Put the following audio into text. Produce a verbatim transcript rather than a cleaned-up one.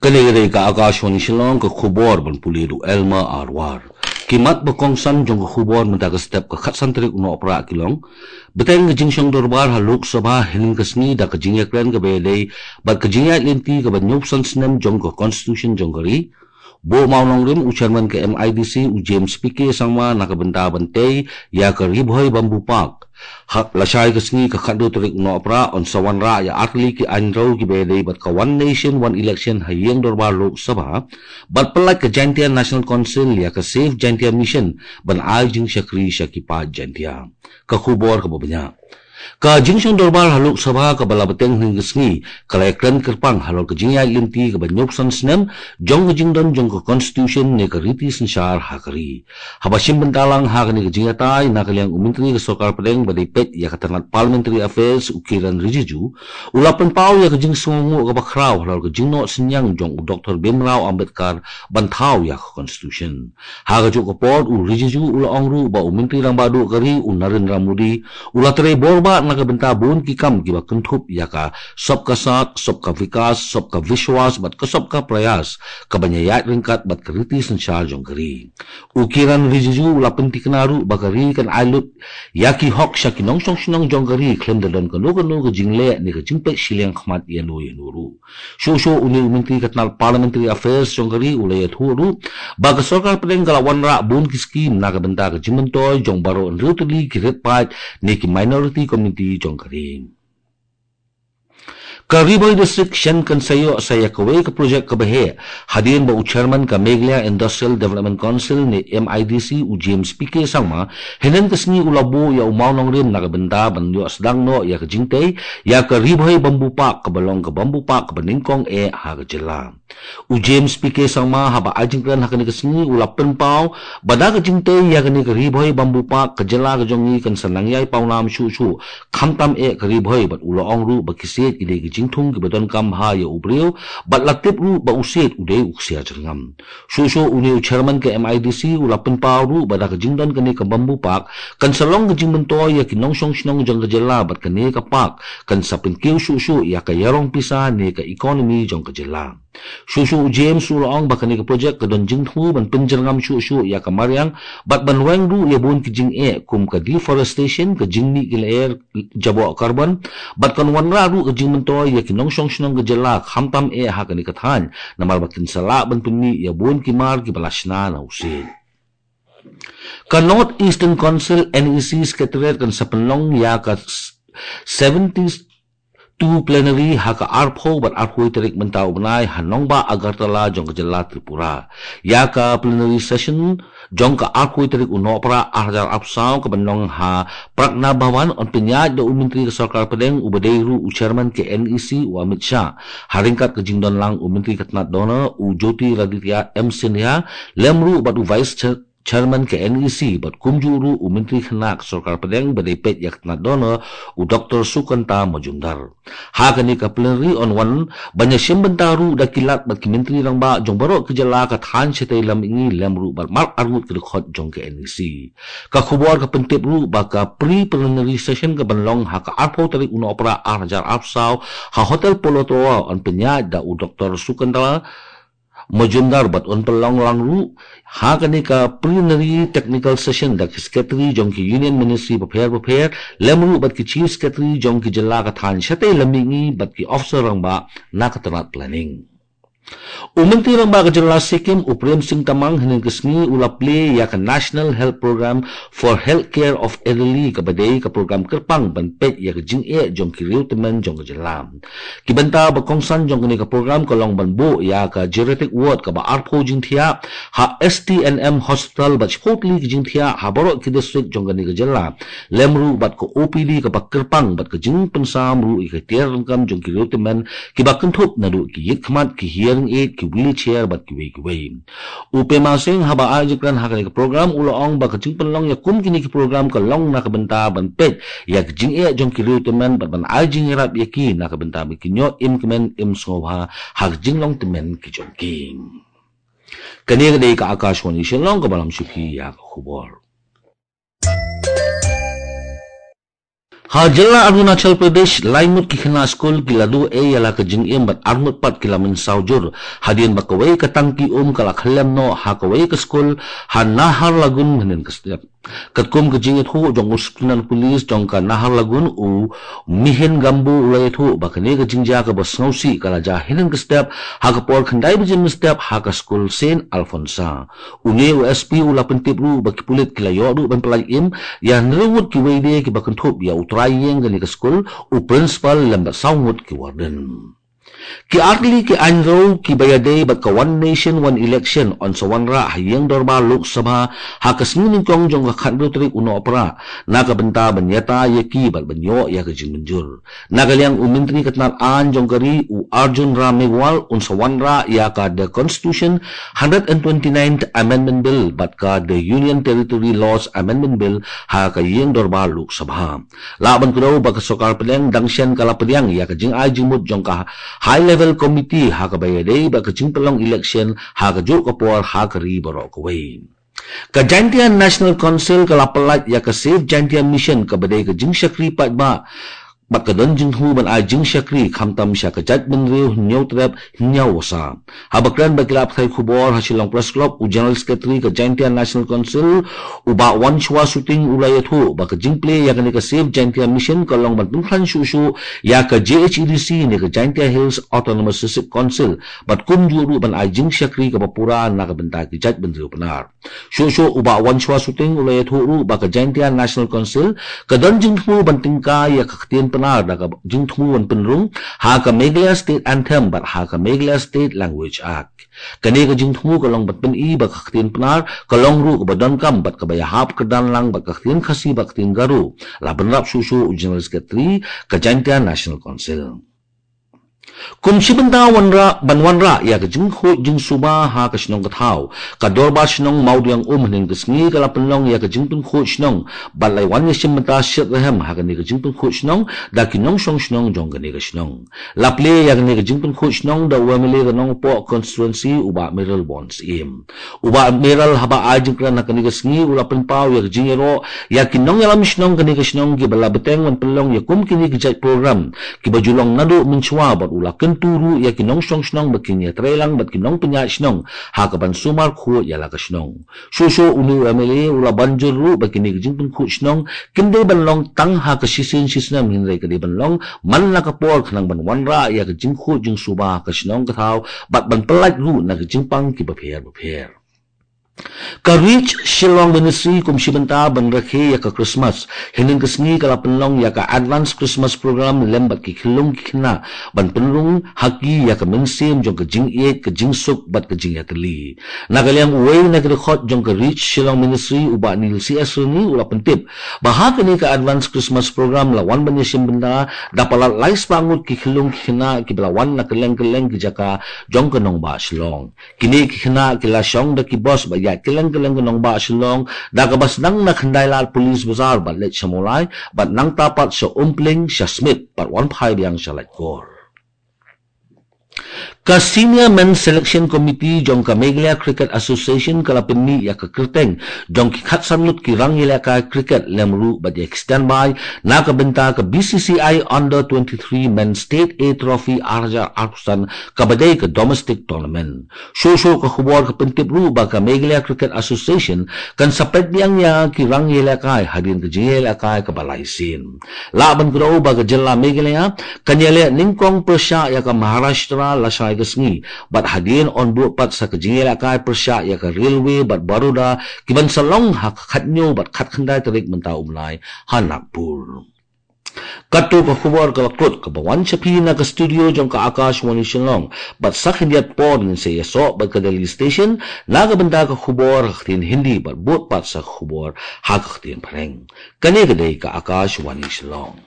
Kane ka dei ka Akashvani Shillong, ka khubor ban pule da u Elmer Arwar. Ki mat ba kongsan jong ka khubor mynta ka step ka khatsan tarik u Nohprah ki long: Bteng ka jingshong dorbar ha Lok Sabha hynnin ka sngi da ka jingïakren kaba ïadei bad ka jingïaid lynti kaba hynñiewphew san snem jong ka Constitution jong ka ri. Buh mawnongrim u Chairman ka M I D C u James P K Sangma na ka bynta ban tei ïa ka Ri Bhoi Bamboo Park. Ha, lashai ka sngi ka khathynriew tarik u Nohprah yn sa wanrah ïa artylli ki aiñ rew kiba ïadei bad ka One Nation One Election ha ïing dorbar Lok Sabha bad pyllait ka Jaintia National Council ïa ka Save Jaintia Mission ban ai jingshakri sha ki paid Jaintia. Ka khubor kaba bniah. Ka jingshong dorbar ha Lok Sabha kaba la bteng hynnin ka sngi ka la ïakren kyrpang halor ka jingïaid lynti kaba hynñiewphew san snem jong ka jingdon jong ka Constitution ne ka riti synshar ha ka ri. Haba shim bynta lang ha kane ka jingïatai na ka liang u Myntri ka Sorkar Pdeng ba dei peit ïa ka tnat Parliamentary Affairs u Kiren Rijiju u la pynpaw ïa ka jingsngewnguh kaba khraw halor ka jingnoh synñiang jong u Doctor Bhimrao Ambedkar ban thaw ïa ka Constitution. Ha kajuh ka por u Rijiju u la ong ruh ba u Myntri Rangbah Duh ka ri u Narendra Modi u la trei bor bah na ka bynta bun ki kam kiba kynthup ïa ka Sabka Saath, Sabka Vikas, Sabka Vishwas bad ka Sabka Prayas, kaban ïaid ryngkat bad ka riti synshar jong ka ri. U Kiren Rijiju u la pynthikna ruh ba ka ri kan ai lut ïa ki hok sha ki nongshong shnong jong ka ri khlem da don kano kano ka jingleh ne ka jingpeit shiliang khmat ïano ïano ruh. Shuh shuh une u Myntri ka tnat Parliamentary Affairs jong ka ri u la ïathuh ruh ba ka Sorkar Pdeng ka la wanrah bun ki skhim na ka bynta ka jingmyntoi jong baroh hynriew tylli ki rit paid ne ki minority community jong ka ri. Ka Ri Bhoi District shen kan sa ïoh sa ïa kawei ka project kaba heh hadien ba u Chairman ka Meghalaya Industrial Development Council ne M I D C u James P K Sangma hynnin ka sngi u la buh ïa u mawnongrim na ka bynta ban ïoh sdang noh ïa ka jingtei ïa ka Ri Bhoi Bamboo Park kaba long ka bamboo park kaba nyngkong eh ha ka jylla. U James P K Sangma haba ai jingkren ha kane ka sngi u la pynpaw ba da ka jingtei ïa kane ka Ri Bhoi Bamboo Park ka jylla ka jong ngi kan sa nang ïai pawnam shuh shuh khamtam eh ka Ri Bhoi bad u la ong ruh ba ki siej ki dei ki jingthung kiba donkam bha ïa u briew bad la tip ruh ba u siej u dei u ksiar jyrngam. Shuh shuh une u Chairman ka M I D C u la pynpaw ruh ba da ka jingdon kane ka bamboo park kan sa long ka jingmyntoi ïa ki nongshong shnong jong ka jylla bad kane ka park kan sa pynkiew shuh shuh ïa ka ïarong pisa ne ka economy jong ka jylla. Shuh shuh u James u la ong ba kane ka project ka don jingthmu ban pynjyrngam shuh shuh ïa ka mariang bad ban weng ruh ïa bun ki jingeh kum ka deforestation, ka jingmih ki lyer jaboh carbon bad kan wanrah ruh ka jingmyntoi ïa ki nongshong shnong ka jylla khamtam eh ha kane ka thaiñ namar ba kin sa lah ban pynmih ïa bun ki mar kiba la shna na u siej. Ka North Eastern Council N E C Secretariat kan sa pynlong ïa ka seventy-two plenary ha ka arphew bad arphew tarik mynta u bnai ha nongbah Agartala jong ka jylla Tripura. Ïa ka plenary session jong ka arphew tarik u Nohprah ar hajar arphew saw kaban long ha Pragna Bhawan yn pynïaid da u Myntri ka Sorkar Pdeng uba dei ruh u Chairman ka N E C u Amit Shah. Ha ryngkat ka jingdon lang u Myntri ka tnat DoNER u Jyotiraditya M Scindia lem ruh bad u Vice Chair Chairman ka N E C bad kumjuh ruh u Myntri Khynnah ka Sorkar Pdeng ba dei peit ïa ka tnat DoNER u Doctor Sukanta Majumdar. Ha kane ka plenary yn wan ban ïashim bynta ruh da ki lat bad ki Myntri Rangbah jong baroh ki jylla ka thaiñ shatei lam mihngi lem ruh bad mar arngut ki dkhot jong ka N E C. Ka khubor ka pyntip ruh ba ka pre-plenary session kaban long ha ka arphew tarik u Nohprah ar hajar arphew saw ha Hotel Polo Tower yn pynïaid da u Doctor Sukanta Majumdar bad yn pynlong lang ruh ha kane ka plenary technical session da ki secretary jong ki union ministry bapher bapher lem ruh bad ki chief secretary jong ki jylla ka thaiñ shatei lam mihngi bad ki officer rangbah na ka tnat planning. U Myntri Rangbah ka jylla Sikkim u Prem Singh Tamang hynnin ka sngi u la plie ïa ka National Health Programme for Health Care of Elderly kaba dei ka program kyrpang ban peit ïa ka jingeh jong ki riewtymmen jong ka jylla. Ki bynta ba kongsan jong kane ka program ka long ban buh ïa ka geriatric ward kaba arphew jingthiah ha S T N M Hospital bad shiphew tylli ki jingthiah ha baroh ki district jong kane ka jylla lem ruh bad ka O P D kaba kyrpang bad ka jingpynsam ruh ïa ka tiar dohkha jong ki riewtymmen kiba kynthup naduh ki ïit khmat, ki hearing aid, ki wheelchair bad kiwei kiwei. U Prem Singh haba ai jingkren ha kane ka program u la ong ba ka jingpynlong ïa kum kine ki program ka long na ka bynta ban peit ïa ka jingeh jong ki riewtymmen bad ban ai jingïarap ïa ki na ka bynta ba kin ïoh im kmen im sngewbha ha ka jinglong tymmen ki jong ki. Kane ka dei ka Akashvani Shillong kaba lam shuki ïa ka khubor. Ha jylla Arunachal Pradesh, lai ngut ki khynnah skul ki la duh ei ïa la ka jingim bad ar ngut pat ki la mynsaw jur hadien ba kawei ka tangki um ka la khyllem noh ha kawei ka skul ha Naharlagun mynhynnin ka step. Katkum ka jingïathuh jong u Superintendent Police jong ka Naharlagun, u Mihin Gambu, u la ïathuh ba kane ka jingjia kaba sngewsih ka la jia hynnin ka step ha ka por khyndai baje mynstep ha ka skul Saint Alphonsa. Une u S P u la pyntip ruh ba ki pulit ki la ïoh ruh ban pyllait im ïa hynriew ngut kiwei de kiba kynthup ïa u trai ïing kane ka skul, u principal lem bad saw ngut ki warden. Ki artylli ki aiñ rew kiba ïadei bad ka One Nation One Election yn sa wanrah ha ïing dorbar Lok Sabha ha ka sngi nyngkong jong ka khathynriew tarik u Nohprah, na ka bynta ban ïatai ïa ki bad ban ïoh ïa ka jingmynjur. Na ka liang u Myntri ka tnat aiñ jong ka ri, u Arjun Ram Meghwal, un sa wanrah ïa ka The Constitution Hundred and Twenty-ninth Amendment Bill bad ka The Union Territory Laws Amendment Bill ha ka ïing dorbar Lok Sabha. Lah ban kdew ba ka sorkar pdeng dang shen ka la pdiang ïa ka jingai jingmut jong ka High Level Committee ha kaba ïadei bad ka jingpynlong election ha kajuh ka por ha ka ri baroh kawei. Ka Jaintia National Council ka la pyllait ïa ka Save Jaintia Mission kaba dei ka jingshakri paidbah bad ka don jingthmu ban ai jingshakri khamtam sha ka jaitbynriew hynñiewtrep hynñiew wasa. Haba kren bad ki lad pathai khubor ha Shillong Press Club, u General Secretary ka Jaintia National Council, u Bah Wanshwa Suting, u la ïathuh ba ka jingplie ïa kane ka Save Jaintia Mission ka long ban pynkhlaiñ shuh shuh ïa ka J H A D C ne ka Jaintia Hills Autonomous District Council bad kumjuh ruh ban ai jingshakri kaba pura na ka bynta ki jaitbynriew Pnar. Shuh shuh u Bah Wanshwa Suting u la ïathuh ruh ba ka Jaintia National Council ka don jingthmu ban tyngkai ïa ka ktien Pnar da ka jingthmu ban pynrung ha ka Meghalaya State Anthem bad ha ka Meghalaya State Language Act. Kane ka jingthmu ka long ban pyni ba ka ktien Pnar ka long ruh kaba donkam bad kaba ïahap kyrdan lang bad ka ktien Khasi bad ktien Garo, la bynrap shuh shuh u General Secretary ka Jaintia National Council. Kum shi bynta wanrah, ban wanrah ïa ka jingkhuid jingsuba ha ka shnong ka thaw, ka Dorbar Shnong Mawdiangum hynnin ka sngi ka la pynlong ïa ka jingpynkhuid shnong bad la wan ïashim bynta shitrhem ha kane ka jingpynkhuid shnong da ki nongshong shnong jong kane ka shnong. La plie ïa kane ka jingpynkhuid shnong da u M L A ka Nongpoh Constituency, u Bah Mayralborn Syiem. U Bah Mayralborn haba ai jingkren ha kane ka sngi u la pynpaw ïa ka jingïaroh ïa ki nongïalam shnong kane ka shnong kiba la bteng ban pynlong ïa kum kine ki jait program kiba ju long naduh mynshuwa bad u la kyntu ruh ïa ki nongshong shnong ba kin ïatreilang bad ki nongpynïaid shnong ha kaban sumar khuid ïa la ka shnong. Shuh shuh une u M L A u la ban jur ruh ba kine ki jingpynkhuid shnong kin dei ban long tang ha ka shisien shisnem hynrei ka dei ban long man la ka por khnang ban wanrah ïa ka jingkhuid jingsuba ha ka shnong ka thaw bad ban pyllait ruh na ka jingpang kiba pher ba pher. Ka Reach Shillong Ministry kum shi bynta ban rakhe ïa ka Christmas hynnin ka sngi ka la pynlong ïa ka Advance Christmas Program lem bad ki khyllung ki khynnah ban pynrung ha ki ïa ka mynsiem jong ka jingïeit, ka jingsuk bad ka jingïatylli. Na ka liang uwei na ki dkhot jong ka Reach Shillong Ministry, u Bah Neil C S Rynï, u la pyntip ba ha kane ka Advance Christmas Program la wan ban ïashim bynta da palat lai spah ngut ki khyllung ki khynnah kiba la wan na kylleng kylleng ki jaka jong ka nongbah Shillong. Kine ki khynnah ki la shong da ki bus ba ïaid kylleng kylleng ka nongbah Shillong, da kaba sdang na Khyndai Lad Police Bazar bad leit sha Mawlai bad nangta pat sha Umpling, sha Smit bad wan phai biang sha Laitkor. Ka Senior Men's Selection Committee jong ka Meghalaya Cricket Association ka la pynmih ïa ka kyrteng jong ki khatsan ngut ki rangïalehkai cricket lem ruh bad ïa ki standby na ka bynta ka B C C I Under twenty-three Men's State A Trophy ar hajar arphew san kaba dei ka domestic tournament. Shuh shuh ka khubor ka pyntip ruh ba ka Meghalaya Cricket Association kan sa peit biang ïa ki rangïalehkai hadien ka jingïalehkai kaba lai sien. Lah ban kdew ba ka jylla Meghalaya kan ïaleh nyngkong pyrshah ïa ka Maharashtra lashai ka sngi bad hadien yn bud pat sa ka jingïalehkai pyrshah ïa ka Railway bad Baroda kiban sa long ha ka khathynñiew bad khatkhyndai tarik mynta u bnai ha Nagpur. Kato ka khubor ka la kut kaba wan sha phi na ka studio jong ka Akashvani Shillong bad sa khyndiat por ngin sa ïasoh bad ka Delhi Station na ka bynta ka khubor ha ka ktien Hindi bad bud pat sa ka khubor ha ka ktien Phareng. Kane ka dei ka Akashvani Shillong.